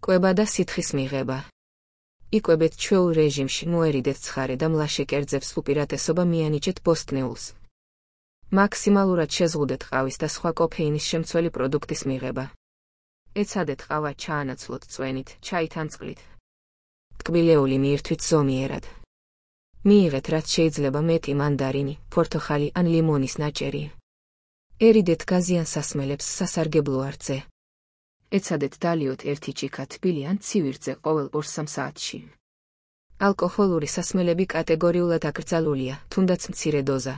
კვება და სითხის მიღება. იკვებეთ ჩვეულ რეჟიმში, მოერიდეთ ცხარე და მლაშე კერძებს, უპირატესობა მიანიჭეთ ბოსტნეულს. მაქსიმალურად შეზღუდეთ ყავის და სხვა კოფეინის შემცველი პროდუქტის მიღება. ეცადეთ ყავა ჩაანაცვლოთ წვენით, ჩაით ან წყლით. ტკბილეული მიირთვით ზომიერად. მიიღეთ რაც შეიძლება მეტი მანდარინი, პორტოხალი ან ლიმონის ნაჭერი. ერიდეთ გაზიან სასმელებს სასარგებლო არწზე. ეცადეთ დალიოთ 1 ჭიქა თბილი ან ცივი რწე ყოველ 2-3 საათში. ალკოჰოლური სასმელები კატეგორიულად აკრძალულია, თუნდაც მცირე დოზა.